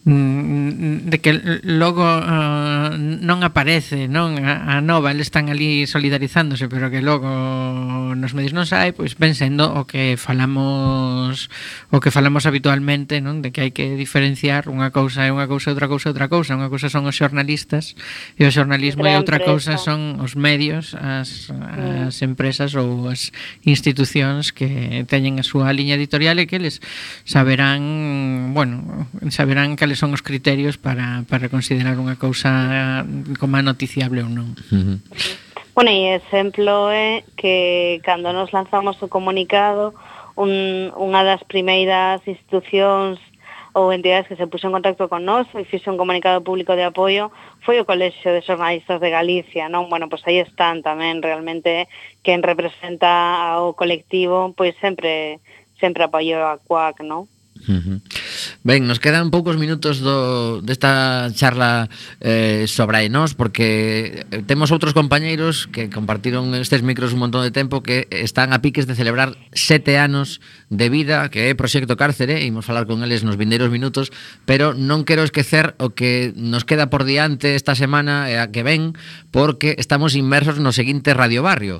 de que logo uh, non aparece, non a, a nova, eles están ali solidarizándose, pero que logo nos medios non sai, pois ven sendo o que falamos o que falamos habitualmente, non? De que hai que diferenciar unha cousa é unha cousa, outra cousa é outra cousa. Unha cousa son os xornalistas e o xornalismo e outra cousa son os medios, as, as empresas ou as institucións que teñen a súa liña editorial e que eles saberán, bueno, saberán que son os criterios para, para considerar unha cousa como noticiable ou non. Uh-huh. Bueno, e exemplo é que cando nos lanzamos o comunicado, un, unha das primeiras institucións ou entidades que se puxo en contacto con nós e fixe un comunicado público de apoio foi o Colexio de Xornalistas de Galicia, non? Bueno, pois aí están tamén realmente quen representa ao colectivo, pois sempre sempre apoio a Quack, non? Uh-huh. Ben, nos quedan poucos minutos do, desta charla eh, sobre nós, porque temos outros compañeiros que compartiron estes micros un montón de tempo que están a piques de celebrar sete anos de vida, que é Proxecto Cárcere, e imos falar con eles nos vindeiros minutos, pero non quero esquecer o que nos queda por diante esta semana e a que ven, porque estamos inmersos no seguinte Radio Barrio.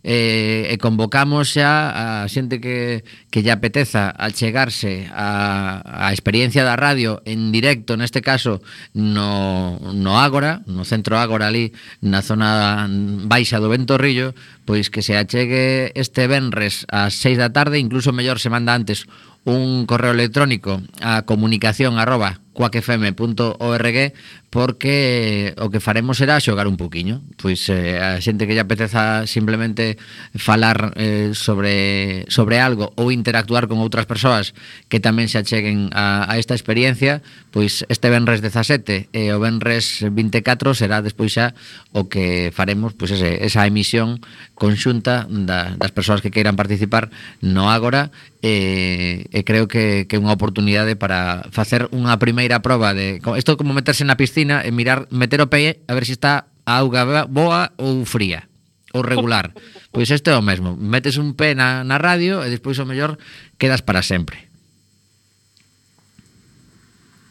Eh, e convocamos xa a xente que, que lle apeteza achegarse a, a experiencia da radio en directo, neste caso no, no Ágora, no centro Ágora ali na zona baixa do Ventorrillo, pois que se achegue este venres ás seis da tarde, incluso mellor se manda antes un correo electrónico a comunicación arroba quack f m punto org, porque o que faremos será xogar un poquinho. Pois eh, a xente que lle apeteza simplemente falar eh, sobre, sobre algo ou interactuar con outras persoas que tamén se acheguen a, a esta experiencia, pois este venres dezasete e o venres vinte e catro será despois xa o que faremos, pois ese, esa emisión conxunta da, das persoas que queiran participar no Ágora, e, e creo que, que é unha oportunidade para facer unha primeira proba de isto, como meterse na piscina e mirar, meter o pé a ver se está a auga boa ou fría ou regular. Pois isto é o mesmo, metes un pé na, na radio e despois o mellor quedas para sempre.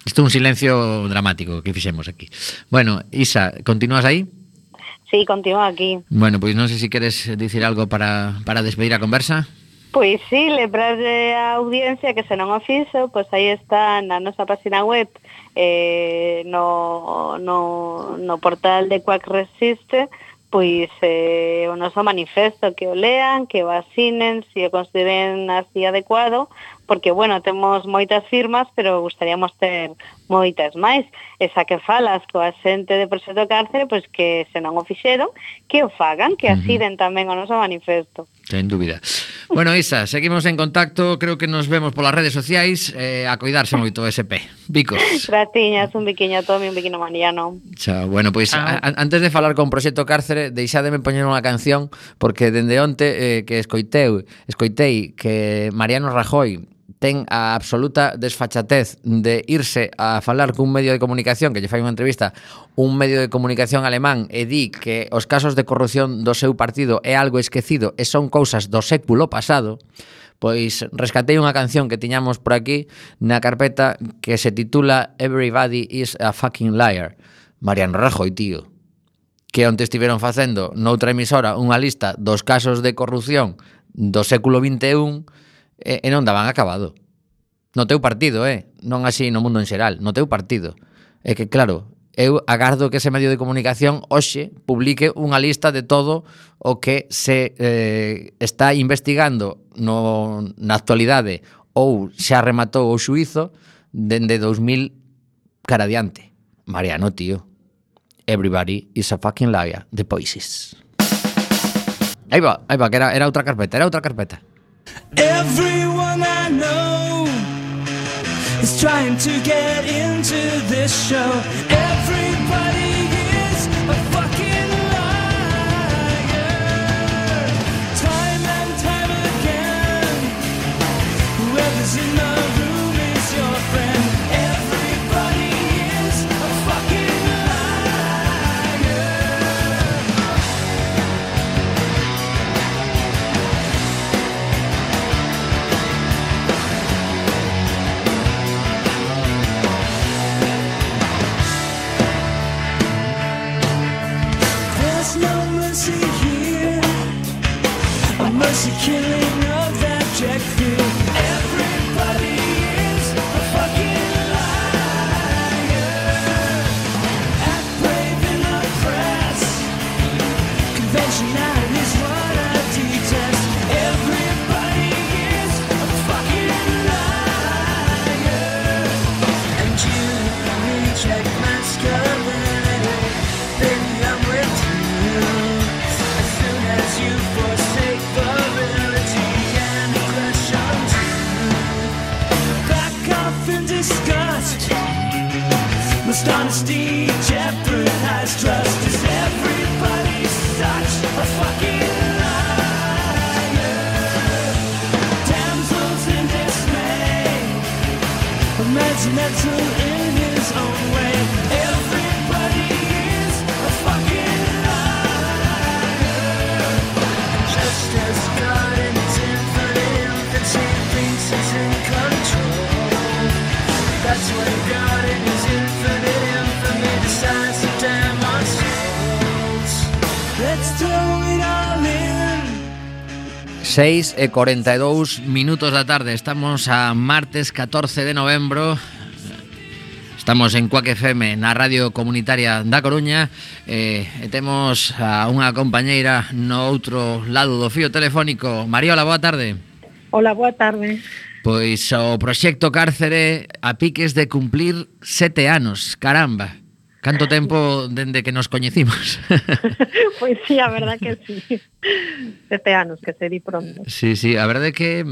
Isto é un silencio dramático que fixemos aquí. Bueno, Isa, continúas aí? Sí, continúo aquí. Bueno, pois non sei se queres dicir algo para, para despedir a conversa. Pois sí, lembrarlle a audiencia que se non o fixo, pois aí está na nosa página web, eh, no, no, no portal de Quack Resiste, pois eh, o noso manifesto, que o lean, que o asinen, se o consideren así adecuado, porque, bueno, temos moitas firmas, pero gustaríamos ter moitas máis. Esa que falas coa xente de Proxecto Cárcere, pois que se non o fixeron, que o fagan, que asinen tamén o noso manifesto. Sen dúbida. Bueno, Isa, seguimos en contacto, creo que nos vemos polas redes sociais, eh, a coidarse moito ese P. Bicos. Gratiñas, un biquiño a Tomi, un biquiño a Mariano. Chao. Bueno, pois pues, antes de falar con Proxecto Cárcere, deixádeme poñer unha canción, porque dende onte eh, que escoiteu, escoitei que Mariano Rajoy ten a absoluta desfachatez de irse a falar cun medio de comunicación que lle fai unha entrevista, un medio de comunicación alemán, e di que os casos de corrupción do seu partido é algo esquecido e son cousas do século pasado. Pois rescatei unha canción que tiñamos por aquí na carpeta que se titula Everybody is a fucking liar. Mariano Rajoy, tío, que onte estiveron facendo noutra emisora unha lista dos casos de corrupción do século vinte e un e, e non daban acabado. No teu partido, eh? Non así no mundo en xeral, no teu partido. É que, claro, eu agardo que ese medio de comunicación hoxe publique unha lista de todo o que se eh, está investigando no, na actualidade ou xa rematou o xuízo dende dos mil cara adiante. Mariano, tío. Everybody is a fucking liar. The Voices. Aí va, aí va, que era, era outra carpeta, era outra carpeta. Everyone I know is trying to get into this show. Everybody is a fucking liar. Time and time again, whoever's in the room is your friend. Everybody is a fucking liar. There's no mercy here, a mercy killing of abject fear. Everybody is a fucking liar. Act brave in the press, conventional is what I detest. Everybody is a fucking liar. And you reject masculinity, baby, I'm with you. As soon as you forsake virility and aggression too, back off in disgust. Must honesty jeopardize trust? Is everybody such a fucking liar? Damsels in dismay, imaginable in his own way. Everybody is a fucking liar. Just as God in his infinite infancy thinks he's in control, that's when God in his infinite infamy decides to damn our souls. Let's throw it all in. seis e cuarenta e dous minutos da tarde. Estamos a martes catorce de novembro. Estamos en Quack F M, na Radio Comunitaria da Coruña, e, e temos a unha compañeira no outro lado do fío telefónico. Mariola, boa tarde. Hola, boa tarde. Pois o proxecto Cárcere a piques de cumplir sete anos, caramba. Canto tempo dende que nos coñecimos. Pois sí, a verdad que sí. Sete anos, que se di pronto. Sí, sí, a verdade que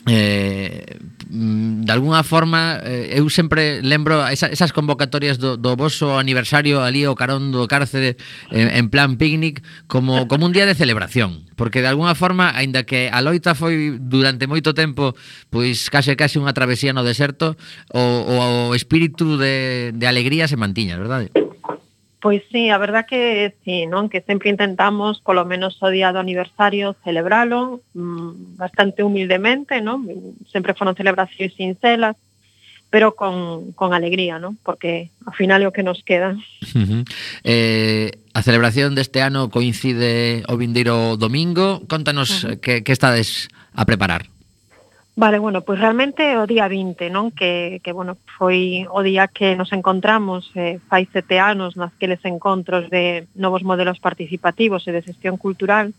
eh, de alguna forma eh, eu sempre lembro esa, esas convocatorias do, do voso aniversario ali ao carón do Cárcere en, en plan picnic como, como un día de celebración, porque de alguna forma, aínda que a loita foi durante moito tempo pois case case unha travesía no deserto, o, o espírito de, de alegría se mantiña, verdade? Pois sí, a verdad que sí, non? Que sempre intentamos, polo menos o día do aniversario, celebralo mmm, bastante humildemente, non? Sempre foron celebracións sincelas, pero con, con alegría, non? Porque ao final é o que nos queda. Uh-huh. Eh, a celebración deste ano coincide o vindeiro domingo. Contanos uh-huh. que, que estades a preparar. Vale, bueno, pois realmente o día vinte, non? Que, que bueno, foi o día que nos encontramos eh, fai sete anos nasqueles encontros de novos modelos participativos e de xestión cultural,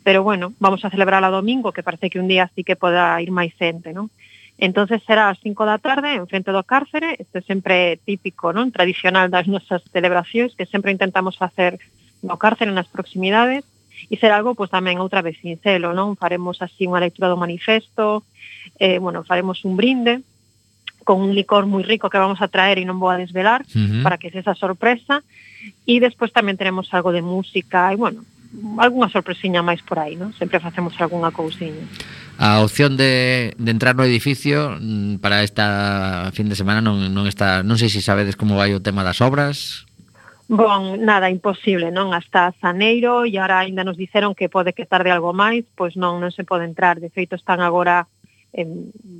pero bueno, vamos a celebrar a domingo, que parece que un día sí que poda ir máis xente, non? Entonces será ás cinco da tarde en frente do Cárcere, este sempre típico, non? Tradicional das nosas celebracións, que sempre intentamos facer no Cárcere, nas proximidades, e será algo, pois tamén outra vez sincero, non? Faremos así unha lectura do manifesto, eh, bueno, faremos un brinde con un licor moi rico que vamos a traer e non vou a desvelar, uh-huh. para que se esa sorpresa, e despois tamén teremos algo de música e, bueno, algunha sorpresiña máis por aí, non? Sempre facemos algunha cousiña. A opción de, de entrar no edificio para esta fin de semana non, non está, non sei se sabedes como vai o tema das obras. Bon, nada, imposible, non? Hasta Zaneiro, e ahora ainda nos dixeron que pode que tarde algo máis, pois non, non se pode entrar. De feito, están agora, eh,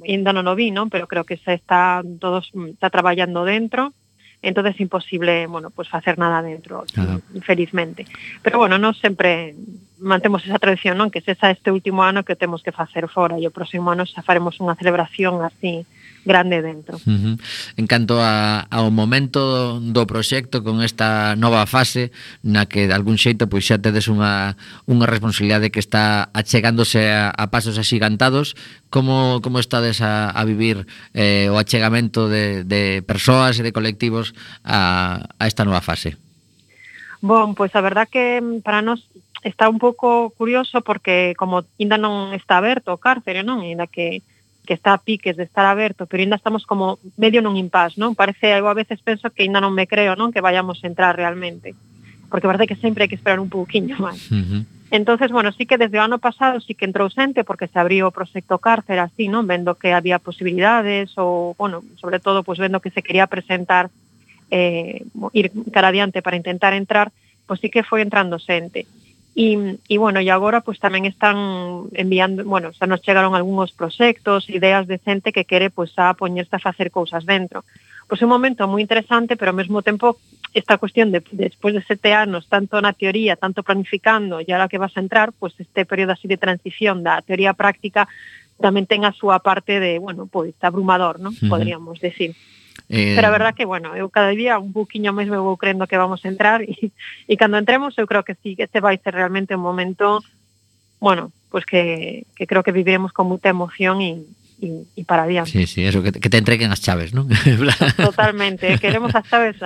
ainda non o vi, non? Pero creo que se está, todos está traballando dentro, entonces é imposible, bueno, pues facer nada dentro, infelizmente. Pero bueno, non sempre mantemos esa tradición, non? Que se esa este último ano que temos que facer fora, e o próximo ano xa faremos unha celebración así grande dentro. Uh-huh. En canto a, ao momento do proxecto con esta nova fase na que de algún xeito pois xa tedes unha, unha responsabilidade que está achegándose a, a pasos axigantados, como, como estades a, a vivir eh, o achegamento de, de persoas e de colectivos a, a esta nova fase? Bon, pois a verdad que para nós está un pouco curioso porque como ainda non está aberto o Cárcere, non? Ainda que que está a piques de estar aberto, pero ainda estamos como medio nun impasse, non? Parece, eu a veces penso que ainda non me creo, non? Que vayamos a entrar realmente, porque parece que sempre hai que esperar un pouquiño máis. Uh-huh. Entonces, bueno, sí que desde o ano pasado sí que entrou xente, porque se abriu o proxecto Cárcere así, non? Vendo que había posibilidades, ou, bueno, sobre todo, pues vendo que se quería presentar, eh, ir cara adiante para intentar entrar, pues sí que foi entrando xente. E, e bueno, e agora pues tamén están enviando, bueno, xa nos chegaron algúns proxectos, ideas de xente que quere pues a poñerse a facer cousas dentro. Pois é un momento moi interesante, pero ao mesmo tempo esta cuestión de despois de sete anos, tanto na teoría, tanto planificando, e ahora que vas a entrar, pues este período así de transición da teoría práctica tamén ten a súa parte de, bueno, pois abrumador, non? Uh-huh. Podríamos decir. Eh... Pero a verdad que, bueno, eu cada día un pouquiño máis me vou crendo que vamos a entrar e, e cando entremos eu creo que sí, que este vai ser realmente un momento, bueno, pues que, que creo que viviremos con moita emoción e, e, e para adiante. Sí, sí, eso, que, que te entreguen as chaves, non? Totalmente, queremos as chaves.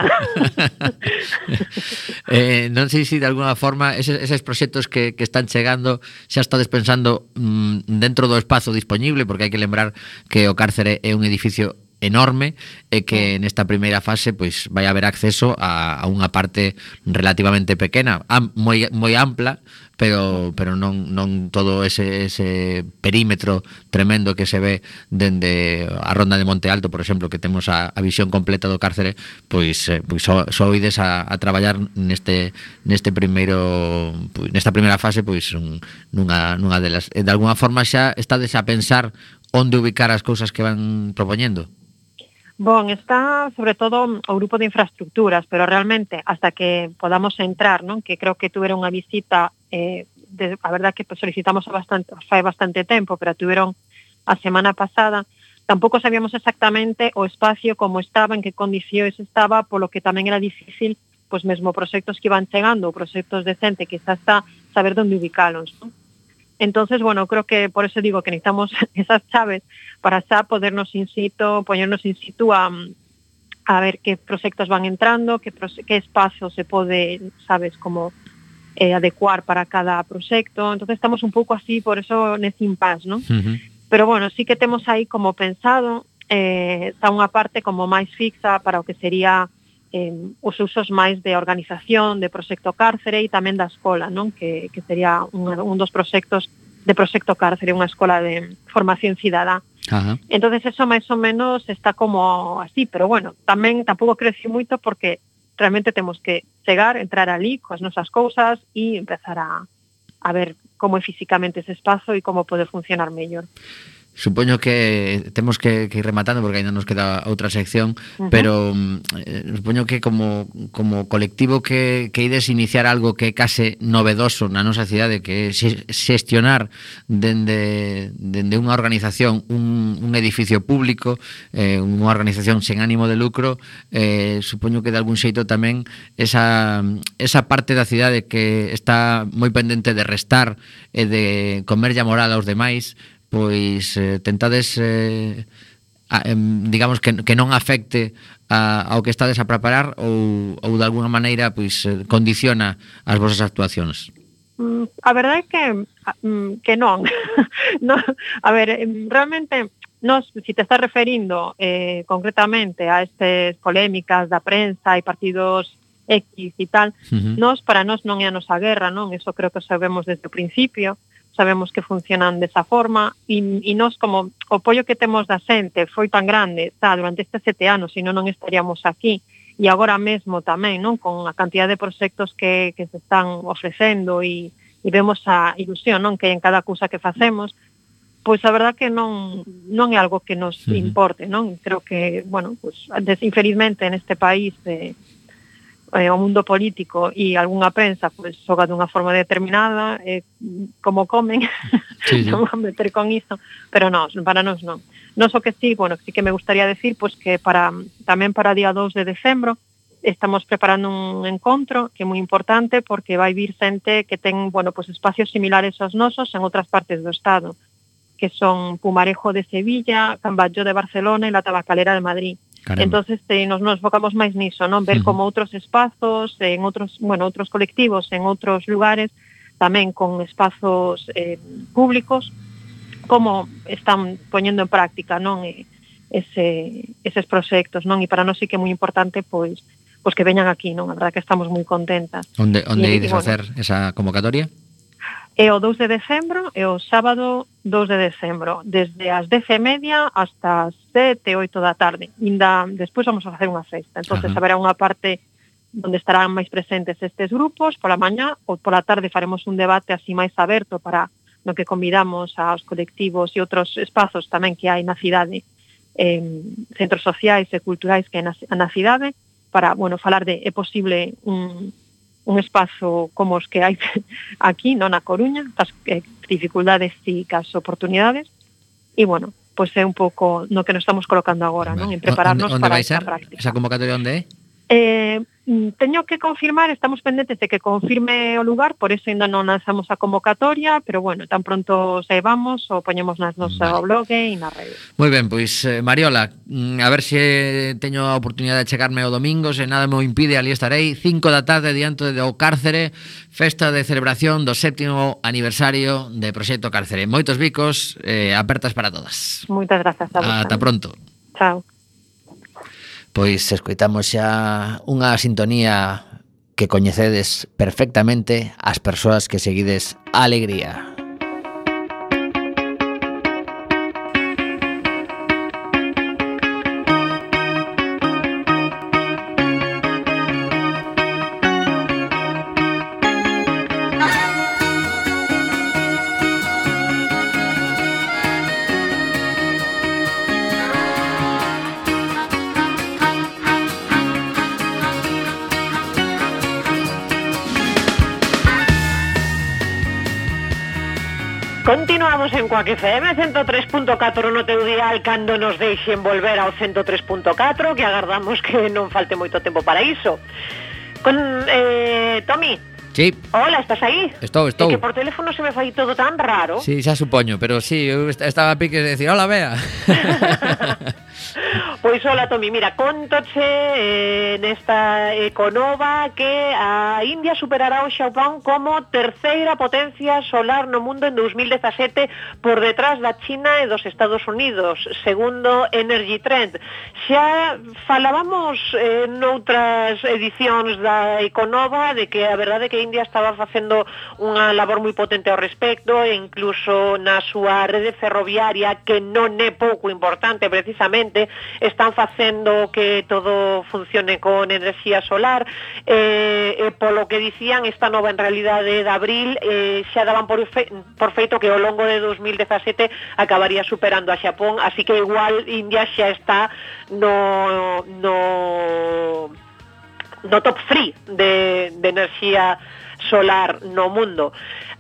eh, non sei se de alguna forma eses, eses proxectos que, que están chegando xa estades pensando mmm, dentro do espazo disponible, porque hai que lembrar que o Cárcere é un edificio enorme e que nesta primeira fase pois vai haber acceso a, a unha parte relativamente pequena, am, moi, moi ampla, pero pero non non todo ese, ese perímetro tremendo que se ve dende a Ronda de Monte Alto, por exemplo, que temos a, a visión completa do Cárcere, pois eh, pois so, soides a, a traballar neste neste primeiro pois, nesta primeira fase pois un, nunha nunha delas. De alguna forma xa estades a pensar onde ubicar as cousas que van propoñendo. Bon, está sobre todo o grupo de infraestructuras, pero realmente hasta que podamos entrar, non? Que creo que tuveron unha visita, eh, de, a verdad que pues, solicitamos a bastante, fai bastante tempo, pero tuveron a semana pasada, tampouco sabíamos exactamente o espacio como estaba, en que condicións estaba, polo que tamén era difícil, pois pues, mesmo proxectos que iban chegando, ou proxectos decentes, que xa está saber onde ubicalos, non? Entonces, bueno, creo que por eso digo que necesitamos esas chaves para xa podernos in situ, poñernos in situ a, a ver qué proxectos van entrando, qué, qué espazo se pode, sabes, como eh, adecuar para cada proxecto. Entonces estamos un pouco así, por eso nese impasse, ¿no? Uh-huh. Pero bueno, sí que temos aí como pensado, eh, está unha parte como máis fixa para o que sería eh, os usos máis de organización, de proxecto cárcere e tamén da escola, non? Que, que sería un, un dos proxectos de proxecto cárcere, unha escola de formación cidadá. Ajá. Entonces eso máis ou menos está como así, pero bueno, tamén tampouco crece moito porque realmente temos que chegar, entrar ali coas nosas cousas e empezar a, a ver como é físicamente ese espazo e como pode funcionar mellor. Supoño que temos que, que ir rematando porque ainda nos queda outra sección, uh-huh. pero eh, supoño que como, como colectivo que, que ides iniciar algo que é case novedoso na nosa cidade, que é xestionar dende, dende unha organización un, un edificio público, eh, unha organización sen ánimo de lucro, eh, supoño que de algún xeito tamén esa, esa parte da cidade que está moi pendente de restar e de comerlle a moral aos demais, pois eh, tentades eh, a, eh, digamos que, que non afecte a, ao que estades a preparar ou, ou de alguna maneira pois eh, condiciona as vosas actuacións. Mm, a verdade é que que non. no, a ver, realmente nos, si te estás referindo eh, concretamente a estas polémicas da prensa e partidos X e tal, uh-huh. nos para nós non é a nosa guerra, non? Eso creo que sabemos desde o principio. Sabemos que funcionan desa forma e, e nós como o apoio que temos da xente foi tan grande tá, durante estes sete anos, senón non estaríamos aquí e agora mesmo tamén non con a cantidad de proxectos que, que se están ofrecendo e, e vemos a ilusión non que en cada cousa que facemos, pois a verdad que non non é algo que nos uh-huh. importe, non? Creo que, bueno, pues, infelizmente neste país eh, Eh, o mundo político e algunha prensa pues, xoga dunha forma determinada eh, como comen sí, sí. non van meter con iso pero non, para nós non non so que sí, bueno, sí que me gustaría decir pues, que para tamén para día dos de decembro estamos preparando un encontro que é moi importante porque vai vir xente que ten bueno, pues, espacios similares aos nosos en outras partes do estado que son Pumarejo de Sevilla, Camballo de Barcelona e la Tabacalera de Madrid. Caramba. Entonces eh, nos, nos focamos máis niso, non? Ver uh-huh. como outros espazos, en outros, bueno, outros colectivos, en outros lugares, tamén con espazos eh, públicos, como están poñendo en práctica, non? E, ese, eses proxectos, non? E para nós sí que é moi importante, pois, pois que veñan aquí, non? A verdade que estamos moi contentas. Onde, onde ides a facer bueno, esa convocatoria? É o dous de decembro e o sábado dous de decembro, desde as dez e media hasta as sete, oito da tarde. Inda despois vamos a facer unha festa. Entonces uh-huh. haberá unha parte onde estarán máis presentes estes grupos pola mañá ou pola tarde faremos un debate así máis aberto para no que convidamos aos colectivos e outros espazos tamén que hai na cidade, eh, centros sociais e culturais que hai na, na cidade para, bueno, falar de é posible un un espazo como os que hai aquí, non na Coruña, as eh, dificultades e as oportunidades, e, bueno, pois pues é un pouco no que nos estamos colocando agora, vale. Non? En prepararnos onde, onde para esa práctica. Esa convocatoria onde é? Eh, teño que confirmar, estamos pendentes de que confirme o lugar, por eso ainda non lanzamos a convocatoria, pero bueno, tan pronto saibamos o poñemos nas nosa vale. blog e na rede. Moi ben, pois eh, Mariola, a ver se teño a oportunidade de chegarme o domingo, se nada me impide, ali estarei, cinco da tarde diante do Cárcere, festa de celebración do séptimo aniversario de Proxecto Cárcere. Moitos bicos, eh, apertas para todas. Moitas grazas a vos. Ata pronto. Chao. Pois escoitamos xa unha sintonía que coñecedes perfectamente as persoas que seguides a Alegría. Continuamos en Coac F M ciento tres punto catro no teu dial cando nos deixen volver ao ciento tres punto catro, que agardamos que non falte moito tempo para iso. Con, eh, Tomi, Sí. Hola, estás aí? Estou, estou. É que por teléfono se me fai todo tan raro. Sí, xa supoño, pero sí, eu est- estaba a piques de decir, hola, Bea. Pois hola, Tomi, mira, contoche eh, nesta Econova que a India superará o Xapón como terceira potencia solar no mundo en dos mil dezasete por detrás da China e dos Estados Unidos, segundo Energy Trend. Xa falábamos eh, noutras edicións da Econova de que a verdade é que India estaba facendo unha labor moi potente ao respecto e incluso na súa rede ferroviaria, que non é pouco importante precisamente, están facendo que todo funcione con enerxía solar, eh, e polo que dicían esta nova en realidade de abril eh, xa daban por, fe, por feito que ao longo de dos mil dezasete acabaría superando a Xapón, así que igual India xa está no no no top tres de, de enerxía solar no mundo.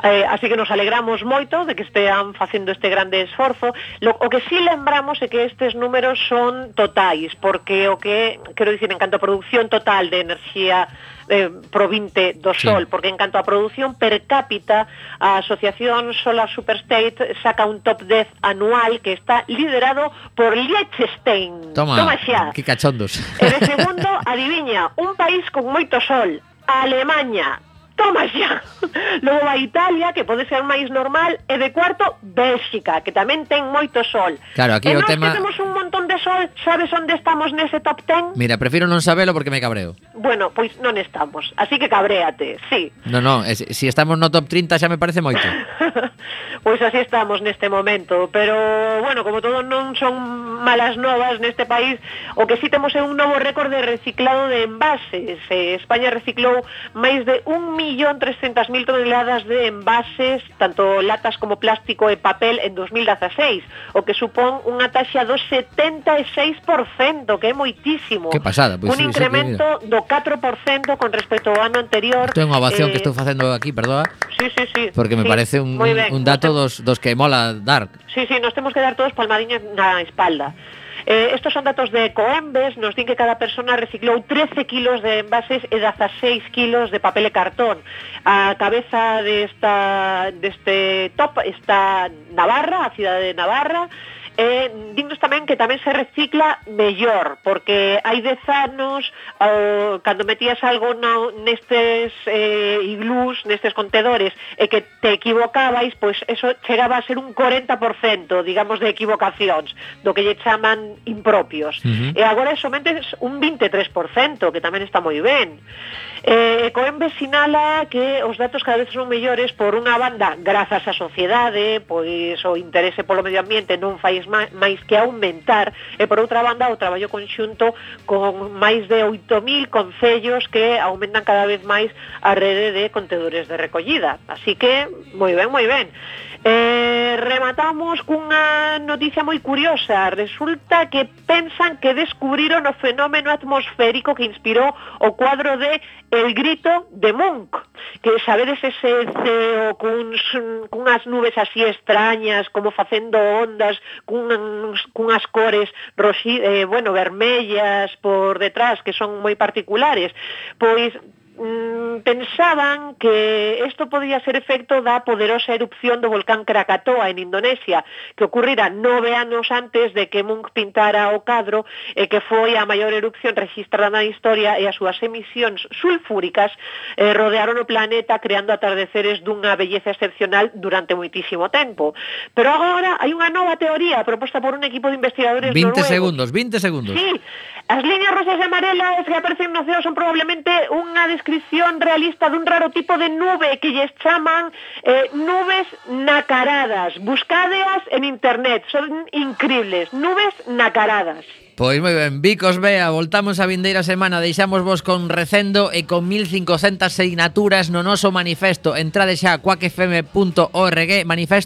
Eh, así que nos alegramos moito de que estean facendo este grande esforzo. Lo, o que sí lembramos é que estes números son totais, porque o que, quero dicir, en canto a producción total de enerxía eh, provinte do Sol, sí. Porque en canto a producción per cápita, a Asociación Solar Superstate saca un top dez anual que está liderado por Liechtenstein. Toma, Toma xa. que cachondos. E de segundo, adiviña, un país con moito sol, Alemanha. Toma xa. Logo a Italia, que pode ser máis normal, e de cuarto, Bélxica, que tamén ten moito sol. Claro, aquí e o nós tema... que temos un montón de sol, sabes onde estamos nese top ten? Mira, prefiro non sabelo porque me cabreo. Bueno, pois non estamos, así que cabréate, sí. No, no, es, si estamos no top trinta xa me parece moito. Pois así estamos neste momento, pero, bueno, como todo non son malas novas neste país, o que sí temos é un novo récord de reciclado de envases. Eh, España reciclou máis de un millón trescentas mil toneladas de envases, tanto latas como plástico e papel, en dos mil dezaseis, o que supón unha taxa do setenta e seis por cento, que é moitísimo. Que pasada, pois un sí, incremento do catro por cento con respecto ao ano anterior. Isto é unha ovación eh, que estou facendo aquí, perdoa. Sí, sí, sí. Porque me sí, parece un, moi ben. un dato dos, dos que mola dar. Sí, sí, nos temos que dar todos palmadiñas na espalda. Eh, estos son datos de Ecoembes, nos din que cada persona reciclou trece kilos de envases e dezaseis kilos de papel e cartón. A cabeza desta, deste top está Navarra, a cidade de Navarra. E dignos tamén que tamén se recicla mellor, porque hai dez anos, uh, cando metías algo no, nestes eh, iglús, nestes contedores, e que te equivocabais, pois eso chegaba a ser un corenta por cento, digamos, de equivocacións, do que lle chaman impropios. Uh-huh. E agora é somente un vinte e tres por cento, que tamén está moi ben. Eh, Ecoembes sinala que os datos cada vez son mellores por unha banda, grazas á sociedade, pois o interese polo medio ambiente non fai máis que aumentar, e por outra banda o traballo conxunto con máis de oito mil concellos que aumentan cada vez máis a rede de contedores de recollida. Así que, moi ben, moi ben. Eh, rematamos cunha noticia moi curiosa. Resulta que pensan que descubriron o fenómeno atmosférico que inspirou o cuadro de El grito de Munch, que sabedes ese ceo cuns, cunhas nubes así extrañas, como facendo ondas, cuns, cunhas cores roxi, eh, bueno, vermellas por detrás, que son moi particulares. Pois Mm, pensaban que isto podía ser efecto da poderosa erupción do volcán Krakatoa en Indonesia, que ocurrira nove anos antes de que Munch pintara o cadro, e que foi a maior erupción registrada na historia, e as súas emisións sulfúricas eh, rodearon o planeta creando atardeceres dunha belleza excepcional durante moitísimo tempo. Pero agora hai unha nova teoría proposta por un equipo de investigadores vinte noruegos. segundos, vinte segundos. Sí, as liñas rosas e amarelas que aparecen no ceo son probablemente unha descripción realista dun raro tipo de nube que lles chaman eh, nubes nacaradas. Buscadeas en internet, son increíbles, nubes nacaradas. Pois moi ben, Vicos Bea, voltamos a vindeira semana, deixamos vos con recendo e con mil cincocentas sinaturas no noso manifesto. Entrade xa a quack f m punto org, manifesto